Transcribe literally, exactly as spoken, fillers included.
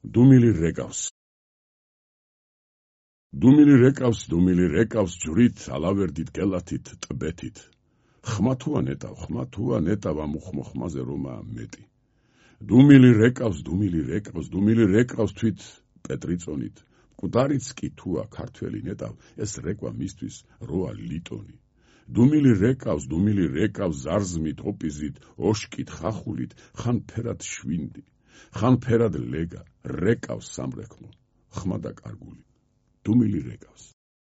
დუმილი რეკავს დუმილი რეკავს დუმილი რეკავს ჯვრით ალავერდით გელათით ტბეთით ხმა თუა ნეტავ ხმა თუა ნეტავ ამ უხმოხმაზე რომაა მეტი დუმილი რეკავს დუმილი რეკავს დუმილი რეკავს თვით პეტრიწონით მკვდარიც კი თუა ქართველი ნეტავ ეს რეკვა მისთვის როა ლიტონი დუმილი რეკავს დუმილი რეკავს ზარზმით ოპიზით ოშკით ხახულით ხან ფერად შვინდი ხან ფერად ლეგა რეკავს სამრეკლო ხმა და კარგული დუმილი რეკავს